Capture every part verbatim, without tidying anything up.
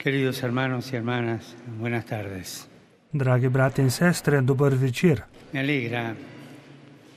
Queridos hermanos y hermanas, buenas tardes. Dragi brati in sestre, dober večer. Me alegra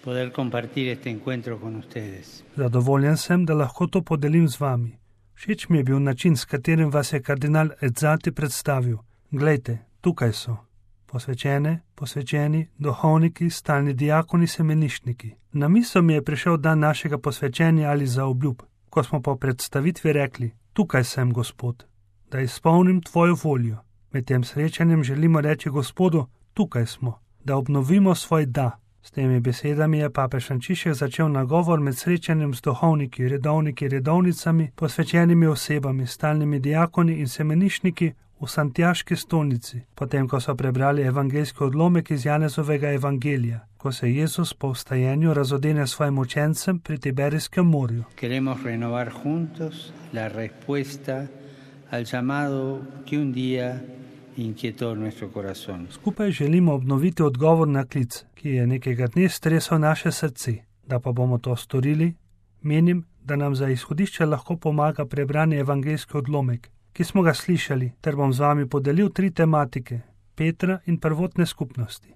poder compartir este encuentro con ustedes. Zadovoljen sem, da lahko to podelim z vami. Všeč mi je bil način, s katerim vas je kardinal Edzati predstavil. Glejte, tukaj so. Posvečene, posvečeni, duhovniki, stalni diakoni, semeniščniki. Na misel mi je prišel dan našega posvečenja ali zaobljub, ko smo po predstavitvi rekli, tukaj sem, Gospod, da izpolnim tvojo voljo. Med tem srečanjem želimo reči Gospodu, tukaj smo, da obnovimo svoj da. S temi besedami je papež Frančišek začel nagovor med srečanjem z duhovniki, redovniki, redovnicami, posvečenimi osebami, stalnimi diakoni in semeniščniki v Santiaški stolnici, potem ko so prebrali evangeljski odlomek iz Janezovega evangelija, ko se Jezus po vstajenju razodene svojim učencem pri Tiberijskem morju. Queremos renovar juntos la respuesta al llamado que un día inquietó nuestro corazón. Skupaj želimo obnoviti odgovor na klic, ki je nekega dne stresel naše srce. Da pa bomo to storili, menim, da nam za izhodišče lahko pomaga prebrani evangeljski odlomek, ki smo ga slišali, ter bom z vami podelil tri tematike, Petra in prvotne skupnosti.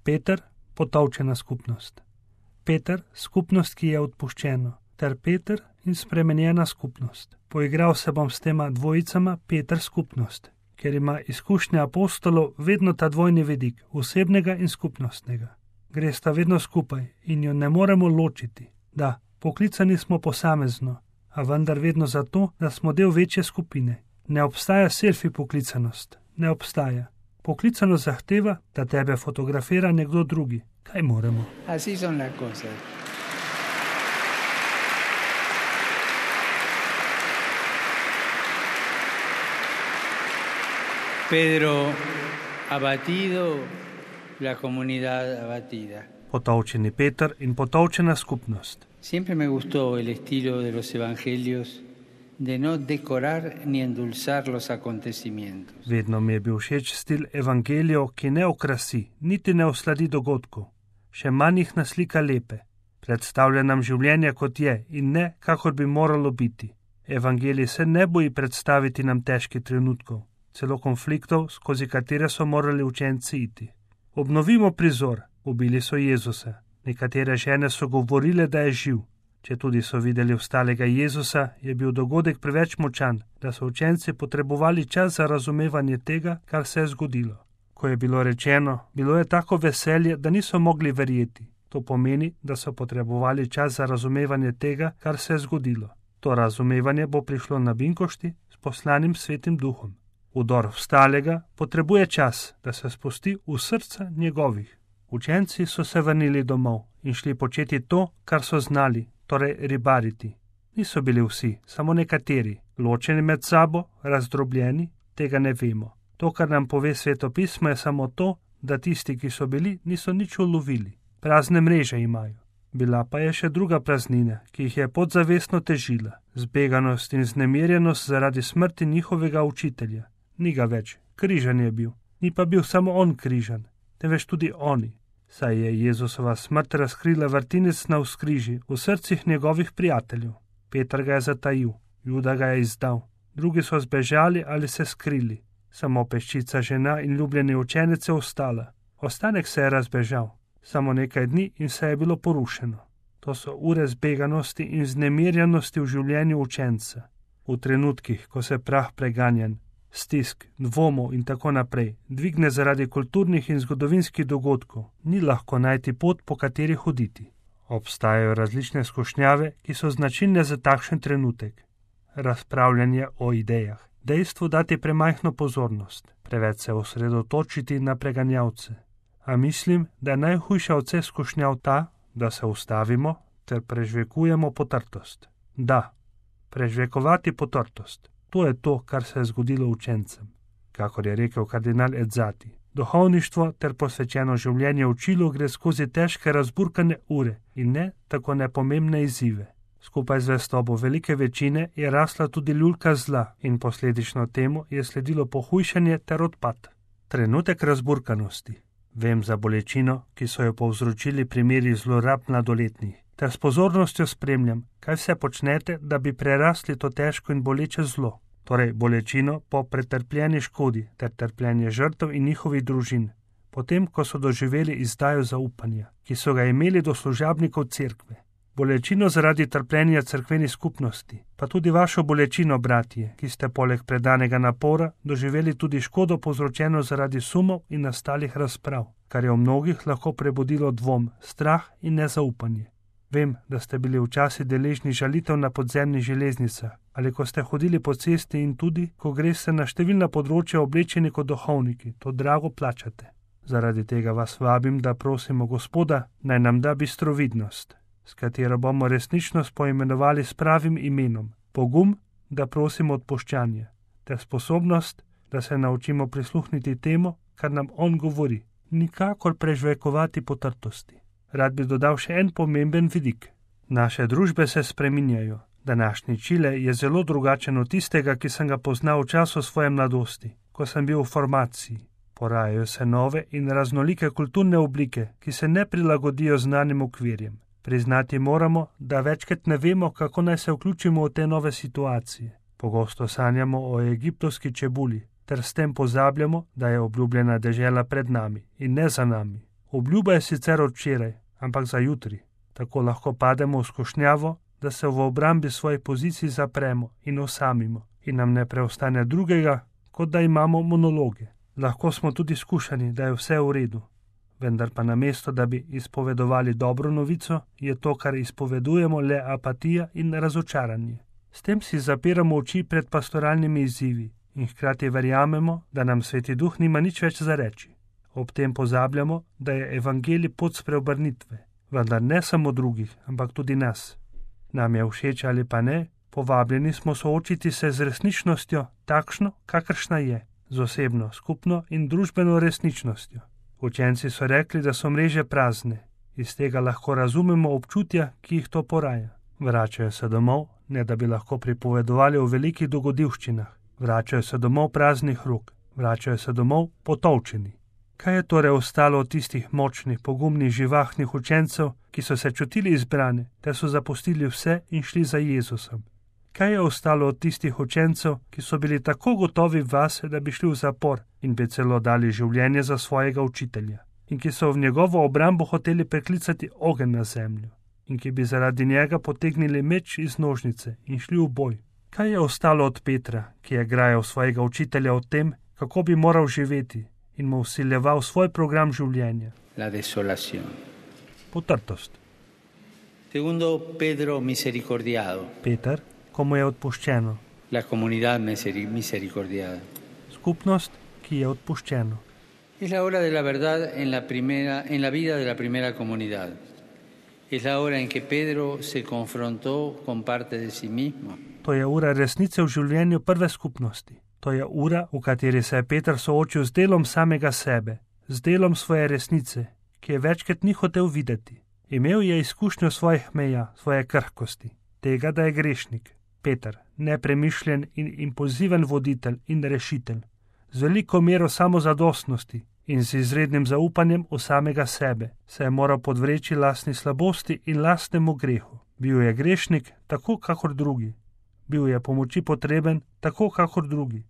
Peter, potolčena skupnost. Peter, skupnost, ki je odpuščeno, ter Peter in spremenjena skupnost. Poigral se bom s tema dvojicama Peter skupnost, ker ima izkušnja apostolov vedno ta dvojni vidik, osebnega in skupnostnega. Gre sta vedno skupaj in jo ne moremo ločiti. Da, poklicani smo posamezno, a vendar vedno zato, da smo del večje skupine. Ne obstaja selfie poklicanost, ne obstaja. Poklicanost zahteva, da tebe fotografira nekdo drugi. Kaj moremo? Así son las cosas. Pedro abatido, la comunidad abatida. Potolčeni Peter in potolčena skupnost. Siempre me gustó el estilo de los evangelios de no decorar ni endulzar los acontecimientos. Vedno mi je bil všeč stil evangelijev, ki ne okrasi, niti ne osladi dogodkov, še manj jih naslika lepe. Predstavlja nam življenje kot je in ne, kakor bi moralo biti. Evangelij se ne boji predstaviti nam težkih trenutkov, celo konfliktov, skozi katere so morali učenci iti. Obnovimo prizor, ubili so Jezusa. Nekatere žene so govorile, da je živ. Če tudi so videli vstalega Jezusa, je bil dogodek preveč močan, da so učenci potrebovali čas za razumevanje tega, kar se je zgodilo. Ko je bilo rečeno, bilo je tako veselje, da niso mogli verjeti. To pomeni, da so potrebovali čas za razumevanje tega, kar se je zgodilo. To razumevanje bo prišlo na binkošti s poslanim Svetim Duhom. Udor vstalega potrebuje čas, da se spusti v srca njegovih. Učenci so se vrnili domov in šli početi to, kar so znali, torej ribariti. Niso bili vsi, samo nekateri, ločeni med sabo, razdrobljeni, tega ne vemo. To, kar nam pove Sveto pismo, je samo to, da tisti, ki so bili, niso nič ulovili. Prazne mreže imajo. Bila pa je še druga praznina, ki jih je podzavestno težila. Zbeganost in znemirjenost zaradi smrti njihovega učitelja. Ni ga več, križan je bil. Ni pa bil samo on križan, temveč tudi oni. Saj je Jezusova smrt razkrila vrtinec na vzkriži v srcih njegovih prijateljev. Peter ga je zatajil, Juda ga je izdal, drugi so zbežali ali se skrili. Samo peščica žena in ljubljeni učenec je ostala. Ostanek se je razbežal, samo nekaj dni in se je bilo porušeno. To so ure zbeganosti in znemirjenosti v življenju učenca. V trenutkih, ko se prah preganjan, stisk, dvomov in tako naprej, dvigne zaradi kulturnih in zgodovinskih dogodkov, ni lahko najti pot, po kateri hoditi. Obstajajo različne skušnjave, ki so značilne za takšen trenutek. Razpravljanje o idejah, dejstvo dati premajhno pozornost, preveč se osredotočiti na preganjavce. A mislim, da je najhujša od vseh skušnjav ta, da se ustavimo ter prežvekujemo potrtost. Da, prežvekovati potrtost. To je to, kar se je zgodilo učencem. Kakor je rekel kardinal Edzati, duhovništvo ter posvečeno življenje učilo gre skozi težke razburkane ure in ne tako nepomembne izzive. Skupaj z zvestobo velike večine je rasla tudi ljulka zla in posledično temu je sledilo pohujšanje ter odpad. Trenutek razburkanosti. Vem za bolečino, ki so jo povzročili primeri zlorab mladoletnih, ter s pozornostjo spremljam, kaj vse počnete, da bi prerasli to težko in boleče zlo. torej bolečino po pretrpljeni škodi ter trpljenje žrtev in njihovih družin, potem ko so doživeli izdajo zaupanja, ki so ga imeli do služabnikov cerkve. Bolečino zaradi trpljenja cerkveni skupnosti, pa tudi vašo bolečino, bratje, ki ste poleg predanega napora doživeli tudi škodo povzročeno zaradi sumov in nastalih razprav, kar je v mnogih lahko prebudilo dvom, strah in nezaupanje. Vem, da ste bili včasih deležni žalitev na podzemnih železnicah, ali ko ste hodili po cesti in tudi, ko greste na številna področja oblečeni kot duhovniki, to drago plačate. Zaradi tega vas vabim, da prosimo Gospoda, naj nam da bistrovidnost, s katero bomo resničnost poimenovali s pravim imenom, pogum, da prosimo odpuščanje, ter sposobnost, da se naučimo prisluhniti temu, kar nam on govori, nikakor prežvekovati potrtosti. Rad bi dodal še en pomemben vidik. Naše družbe se spreminjajo. Današnji Čile je zelo drugačen od tistega, ki sem ga poznal v času svoje mladosti, ko sem bil v formaciji. Porajajo se nove in raznolike kulturne oblike, ki se ne prilagodijo znanim okvirjem. Priznati moramo, da večkrat ne vemo, kako naj se vključimo v te nove situacije. Pogosto sanjamo o egiptovski čebuli, ter s tem pozabljamo, da je obljubljena dežela pred nami in ne za nami. Obljuba je sicer od včeraj, ampak za jutri. Tako lahko pademo v skušnjavo, da se v obrambi svojih pozicij zapremo in osamimo in nam ne preostane drugega, kot da imamo monologe. Lahko smo tudi skušani, da je vse v redu. Vendar pa namesto, da bi izpovedovali dobro novico, je to, kar izpovedujemo, le apatija in razočaranje. S tem si zapiramo oči pred pastoralnimi izzivi in hkrati verjamemo, da nam Sveti Duh nima nič več za reči. Ob tem pozabljamo, da je evangelij pot spreobrnitve, vendar ne samo drugih, ampak tudi nas. Nam je všeč ali pa ne, povabljeni smo soočiti se z resničnostjo, takšno, kakršna je, z osebno, skupno in družbeno resničnostjo. Učenci so rekli, da so mreže prazne. Iz tega lahko razumemo občutja, ki jih to poraja. Vračajo se domov, ne da bi lahko pripovedovali o velikih dogodivščinah. Vračajo se domov praznih rok. Vračajo se domov potolčeni. Kaj je torej ostalo od tistih močnih, pogumnih, živahnih učencev, ki so se čutili izbrane, ter so zapustili vse in šli za Jezusom? Kaj je ostalo od tistih učencev, ki so bili tako gotovi vase, da bi šli v zapor in bi celo dali življenje za svojega učitelja, in ki so v njegovo obrambo hoteli preklicati ogenj na zemljo, in ki bi zaradi njega potegnili meč iz nožnice in šli v boj? Kaj je ostalo od Petra, ki je grajal svojega učitelja o tem, kako bi moral živeti, in mu vsiljeval svoj program življenja? La desolación. Potrtost. Segundo, Pedro misericordiado. Peter, komu je odpuščeno. La comunidad misericordiada. Skupnost, ki je odpuščeno. Es la hora de la verdad en la primera, en la vida de la primera comunidad. Es la hora en que Pedro se confrontó con parte de sí mismo. To je ura resnice v življenju prve skupnosti. To je ura, v kateri se je Peter soočil z delom samega sebe, z delom svoje resnice, ki je večkrat ni hotel videti. Imel je izkušnjo svojih meja, svoje krhkosti, tega, da je grešnik. Peter, nepremišljen in impulziven voditelj in rešitelj, z veliko mero samozadostnosti in z izrednim zaupanjem v samega sebe, se je moral podvreči lastni slabosti in lastnemu grehu. Bil je grešnik, tako kakor drugi. Bil je pomoči potreben, tako kakor drugi.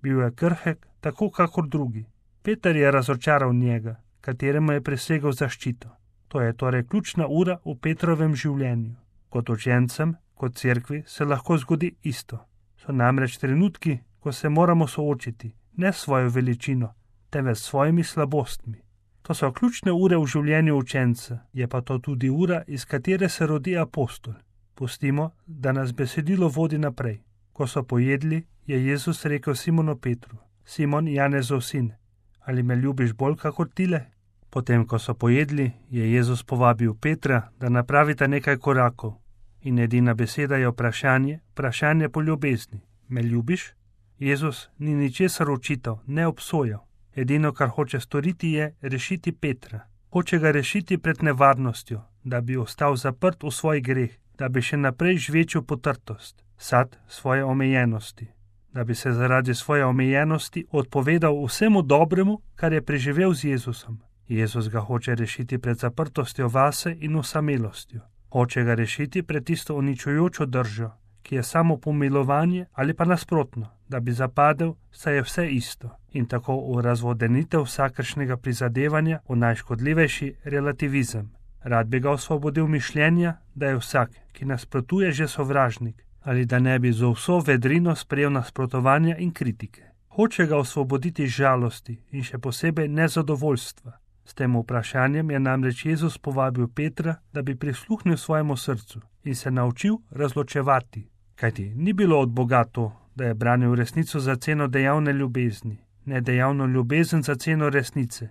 Bil je krhek, tako kakor drugi. Peter je razočaral njega, kateremu je presegel zaščito. To je torej ključna ura v Petrovem življenju. Kot učencem, kot cerkvi se lahko zgodi isto. So namreč trenutki, ko se moramo soočiti, ne s svojo veličino, temveč s svojimi slabostmi. To so ključne ure v življenju učenca, je pa to tudi ura, iz katere se rodi apostol. Pustimo, da nas besedilo vodi naprej. Ko so pojedli, je Jezus rekel Simonu Petru: Simon, Janezov sin, ali me ljubiš bolj kakor tile? Potem, ko so pojedli, je Jezus povabil Petra, da napravita nekaj korakov. In edina beseda je vprašanje, vprašanje po ljubezni. Me ljubiš? Jezus ni ničesar očital, ne obsojal. Edino, kar hoče storiti, je rešiti Petra. Hoče ga rešiti pred nevarnostjo, da bi ostal zaprt v svoj greh, da bi še naprej žvečil potrtost, sad svoje omejenosti, da bi se zaradi svoje omejenosti odpovedal vsemu dobremu, kar je preživel z Jezusom. Jezus ga hoče rešiti pred zaprtostjo vase in osamelostjo. Hoče ga rešiti pred tisto uničujočo držo, ki je samo pomilovanje, ali pa nasprotno, da bi zapadel, saj je vse isto, in tako v razvodenitev vsakršnega prizadevanja v najškodljivejši relativizem. Rad bi ga osvobodil mišljenja, da je vsak, ki nasprotuje, že sovražnik, ali da ne bi z vso vedrino sprejel nasprotovanja in kritike. Hoče ga osvoboditi žalosti in še posebej nezadovoljstva. S tem vprašanjem je namreč Jezus povabil Petra, da bi prisluhnil svojemu srcu in se naučil razločevati. Kajti ni bilo od Boga to, da je branil resnico za ceno dejavne ljubezni, ne dejavno ljubezen za ceno resnice,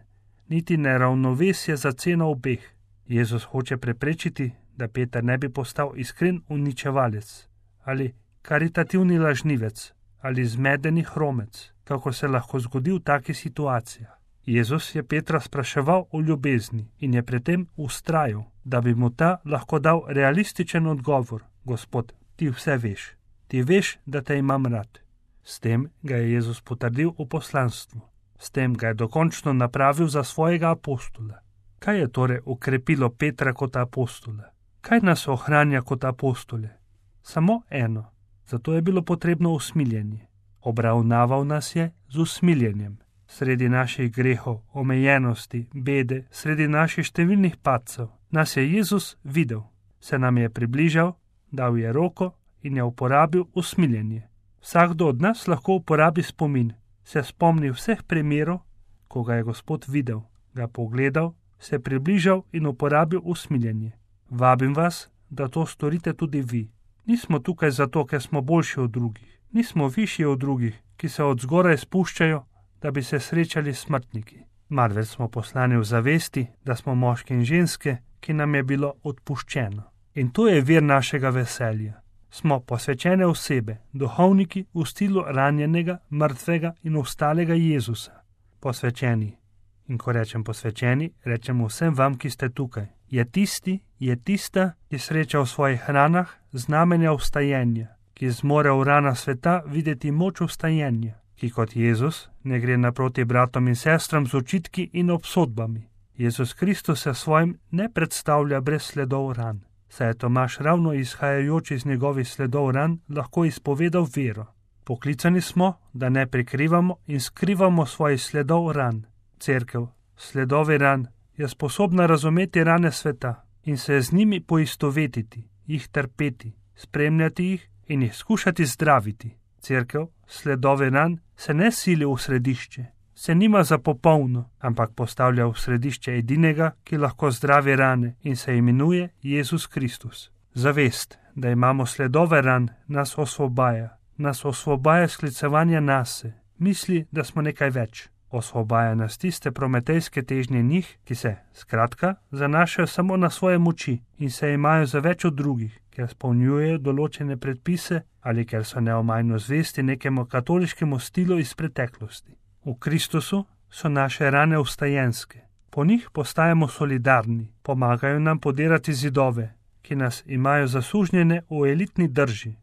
niti neravnovesje za ceno obeh. Jezus hoče preprečiti, da Peter ne bi postal iskren uničevalec ali karitativni lažnivec ali zmedeni hromec, kako se lahko zgodi v takih situacijah. Jezus je Petra spraševal o ljubezni in je pri tem vztrajal, da bi mu ta lahko dal realističen odgovor: Gospod, ti vse veš, ti veš, da te imam rad. S tem ga je Jezus potrdil v poslanstvu, s tem ga je dokončno napravil za svojega apostola. Kaj je torej ukrepilo Petra kot apostola? Kaj nas ohranja kot apostole? Samo eno, zato je bilo potrebno usmiljenje. Obravnaval nas je z usmiljenjem. Sredi naših grehov, omejenosti, bede, sredi naših številnih padcev, nas je Jezus videl, se nam je približal, dal je roko in je uporabil usmiljenje. Vsakdo od nas lahko uporabi spomin, se spomni vseh primerov, ko ga je Gospod videl, ga pogledal, se približal in uporabil usmiljenje. Vabim vas, da to storite tudi vi. Nismo tukaj zato, ker smo boljši od drugih. Nismo višji od drugih, ki se od zgoraj spuščajo, da bi se srečali s smrtniki. Marveč smo poslani v zavesti, da smo moški in ženske, ki nam je bilo odpuščeno. In to je vir našega veselja. Smo posvečene osebe, duhovniki v stilu ranjenega, mrtvega in ostalega Jezusa. Posvečeni. In ko rečem posvečeni, rečem vsem vam, ki ste tukaj. Je tisti, je tista, ki sreča v svojih ranah znamenja vstajenja, ki zmore v ranah sveta videti moč vstajenja, ki kot Jezus ne gre naproti bratom in sestram z očitki in obsodbami. Jezus Kristus se svojim ne predstavlja brez sledov ran, saj je Tomaž ravno izhajajoč iz njegovih sledov ran lahko izpovedal vero. Poklicani smo, da ne prikrivamo in skrivamo svojih sledov ran. Cerkev, sledovi ran, je sposobna razumeti rane sveta in se z njimi poistovetiti, jih trpeti, spremljati jih in jih skušati zdraviti. Cerkev, sledovi ran, se ne sili v središče, se nima za popolno, ampak postavlja v središče edinega, ki lahko zdravi rane in se imenuje Jezus Kristus. Zavest, da imamo sledove ran, nas osvobaja, nas osvobaja sklicevanja nase, misli, da smo nekaj več. Osvobaja nas tiste prometejske težnje njih, ki se, skratka, zanašajo samo na svoje moči in se imajo za več od drugih, ker spolnjujejo določene predpise ali ker so neomajno zvesti nekemu katoliškemu stilu iz preteklosti. V Kristusu so naše rane vstajenske. Po njih postajamo solidarni, pomagajo nam podirati zidove, ki nas imajo zasužnjene v elitni drži,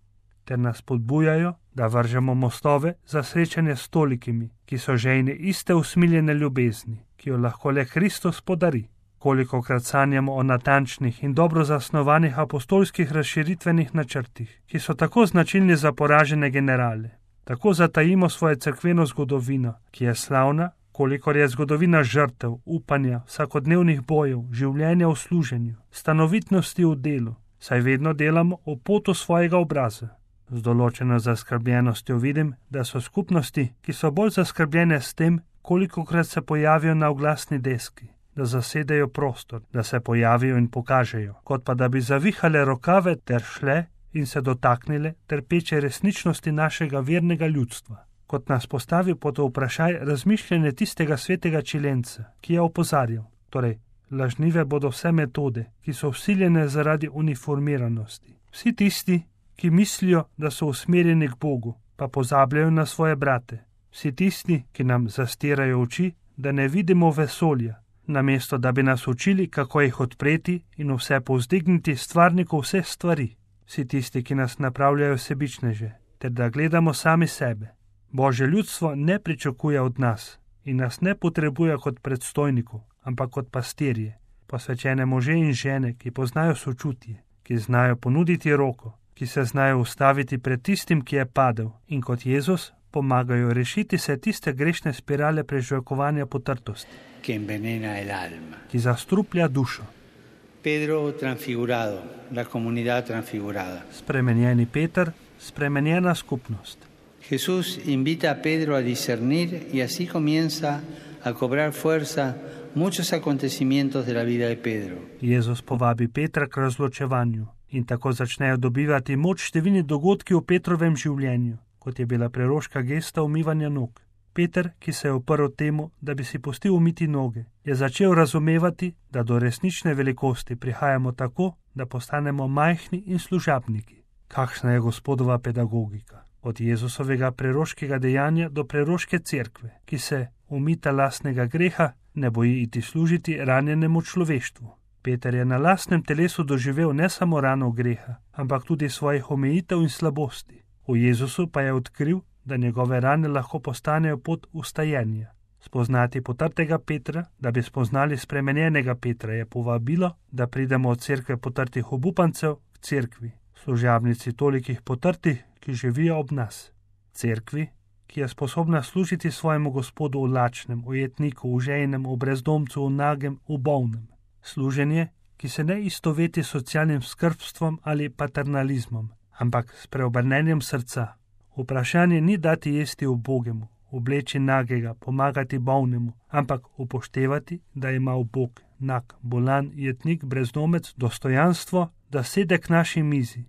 ter nas podbujajo, da vržemo mostove za srečanje s tolikimi, ki so žejni iste usmiljene ljubezni, ki jo lahko le Kristus podari. Kolikokrat sanjamo o natančnih in dobro zasnovanih apostolskih razširitvenih načrtih, ki so tako značilni za poražene generale. Tako zatajimo svojo cerkveno zgodovino, ki je slavna, kolikor je zgodovina žrtev, upanja, vsakodnevnih bojev, življenja v služenju, stanovitnosti v delu, saj vedno delamo v potu svojega obraza. Z določeno zaskrbljenostjo vidim, da so skupnosti, ki so bolj zaskrbljene s tem, kolikokrat se pojavijo na oglasni deski, da zasedejo prostor, da se pojavijo in pokažejo, kot pa da bi zavihale rokave ter šle in se dotaknile trpeče resničnosti našega vernega ljudstva, kot nas postavi pod vprašaj razmišljanje tistega svetega čilenca, ki je opozarjal, torej lažnive bodo vse metode, ki so vsiljene zaradi uniformiranosti. Vsi tisti, ki mislijo, da so usmerjeni k Bogu, pa pozabljajo na svoje brate. Vsi tisti, ki nam zastirajo oči, da ne vidimo vesolja, namesto da bi nas učili, kako jih odpreti in vse povzdigniti stvarniku vseh stvari. Vsi tisti, ki nas napravljajo sebičneže, ter da gledamo sami sebe. Božje ljudstvo ne pričakuje od nas in nas ne potrebuje kot predstojnikov, ampak kot pastirje, posvečene može in žene, ki poznajo sočutje, ki znajo ponuditi roko, ki se znajo ustaviti pred tistim, ki je padel, in kot Jezus pomagajo rešiti se tiste grešne spirale prežvečevanja potrtosti, que envenena el alma. Ki zastruplja dušo. Pedro transfigurado, la comunidad transfigurada. Spremenjeni Peter, spremenjena skupnost. Jesús invita a Pedro a discernir y así comienza a cobrar fuerza muchos acontecimientos de la vida de Pedro. Jezus povabi Petra k razločevanju in tako začnejo dobivati moč številni dogodki v Petrovem življenju, kot je bila preroška gesta umivanja nog. Peter, ki se je uprl temu, da bi si pustil umiti noge, je začel razumevati, da do resnične velikosti prihajamo tako, da postanemo majhni in služabniki. Kakšna je Gospodova pedagogika? Od Jezusovega preroškega dejanja do preroške cerkve, ki se umita lastnega greha ne boji iti služiti ranjenemu človeštvu. Peter je na lastnem telesu doživel ne samo rano greha, ampak tudi svojih omejitev in slabosti. V Jezusu pa je odkril, da njegove rane lahko postanejo pot ustajenja. Spoznati potrtega Petra, da bi spoznali spremenjenega Petra, je povabilo, da pridemo od cerkve potrtih obupancev k cerkvi, služabnici tolikih potrtih, ki živijo ob nas. Cerkvi, ki je sposobna služiti svojemu Gospodu v lačnem, ujetniku, v žejnem, v brezdomcu, v nagem, v bolnem. Služenje, ki se ne istoveti s socialnim skrbstvom ali paternalizmom, ampak s preobrnenjem srca. Vprašanje ni dati jesti ubogemu, obleči nagega, pomagati bolnemu, ampak upoštevati, da ima ubog, nag, bolan, jetnik, brezdomec dostojanstvo, da sede k naši mizi,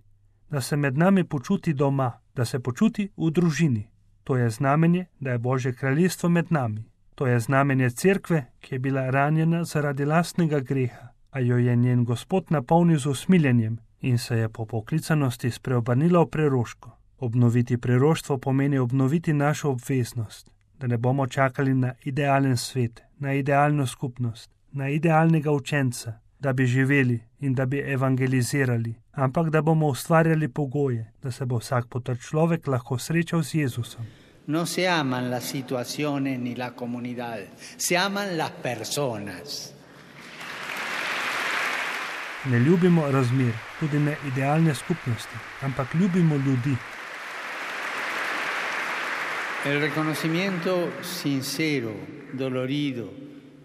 da se med nami počuti doma, da se počuti v družini. To je znamenje, da je Božje kraljestvo med nami. To je znamenje cerkve, ki je bila ranjena zaradi lastnega greha, a jo je njen Gospod napolnil z usmiljenjem in se je po poklicanosti spreobrnila v preroško. Obnoviti preroštvo pomeni obnoviti našo obveznost, da ne bomo čakali na idealen svet, na idealno skupnost, na idealnega učenca, da bi živeli in da bi evangelizirali, ampak da bomo ustvarjali pogoje, da se bo vsak potrt človek lahko srečal z Jezusom. No se aman las situaciones ni la comunidad, se aman las personas. Ne ljubimo razmer, tudi ne idealne skupnosti, ampak ljubimo ljudi. El reconocimiento sincero, dolorido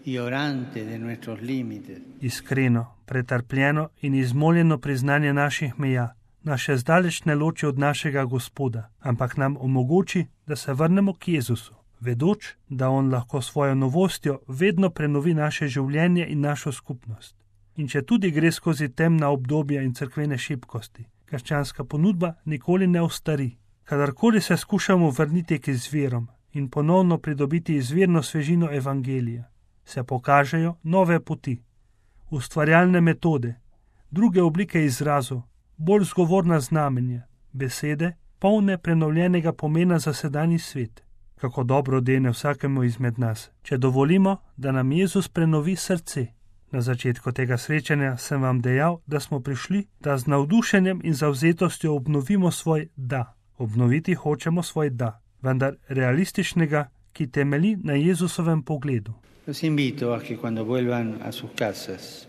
y orante de nuestros límites. Iskreno, pretrpljeno in izmoljeno priznanje naših meja nas še zdaleč ne loči od našega Gospoda, ampak nam omogoči, da se vrnemo k Jezusu, vedoč, da On lahko svojo novostjo vedno prenovi naše življenje in našo skupnost. In če tudi gre skozi temna obdobja in cerkvene šibkosti, krščanska ponudba nikoli ne ostari. Kadarkoli se skušamo vrniti k izvirom in ponovno pridobiti izvirno svežino evangelija, se pokažejo nove poti, ustvarjalne metode, druge oblike izrazov, bolj zgovorna znamenja, besede, polne prenovljenega pomena za sedanji svet. Kako dobro dene vsakemu izmed nas, če dovolimo, da nam Jezus prenovi srce. Na začetku tega srečanja sem vam dejal, da smo prišli, da z navdušenjem in zavzetostjo obnovimo svoj da. Obnoviti hočemo svoj da, vendar realističnega, ki temelji na Jezusovem pogledu. Los invito a que cuando vuelvan a sus casas,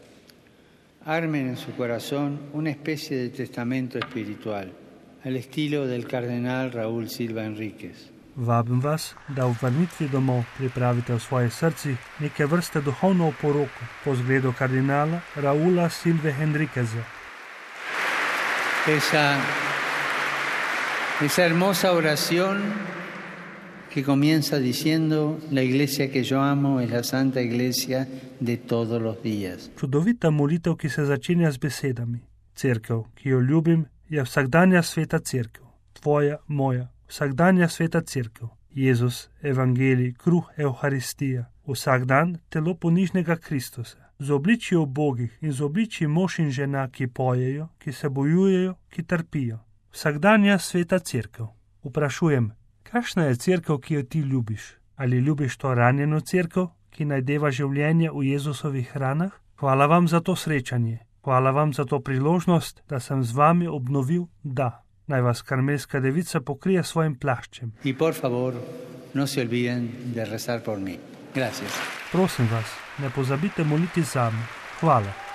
armen en su corazón una especie de testamento espiritual, al estilo del cardenal Raúl Silva Enríquez. Vabim vas, da v vrnitvi domov pripravite v svoje srci neke vrste duhovno oporoko po zgledu kardinala Raúla Silve Enríqueza. Esa, esa hermosa oración que comienza diciendo: la iglesia que yo amo es la santa iglesia de todos los días. Čudovita molitev, ki se začenja z besedami: Cerkev, ki jo ljubim, je vsakdanja sveta cerkev, tvoja, moja, vsakdanja sveta cerkev. Jezus, evangelij, kruh, evharistija, vsak dan telo ponižnega Kristusa, z obličji ubogih in z obličji mož in žena, ki pojejo, ki se bojujejo, ki trpijo. Vsakdanja sveta cerkev. Vprašujem, kakšna je cerkev, ki jo ti ljubiš? Ali ljubiš to ranjeno cerkev, ki najdeva življenje v Jezusovih ranah? Hvala vam za to srečanje. Hvala vam za to priložnost, da sem z vami obnovil da. Naj vas karmelska devica pokrije svojim plaščem. Y por favor, no se olviden de rezar por mí. Gracias. Prosim vas, ne pozabite moliti zame. Hvala.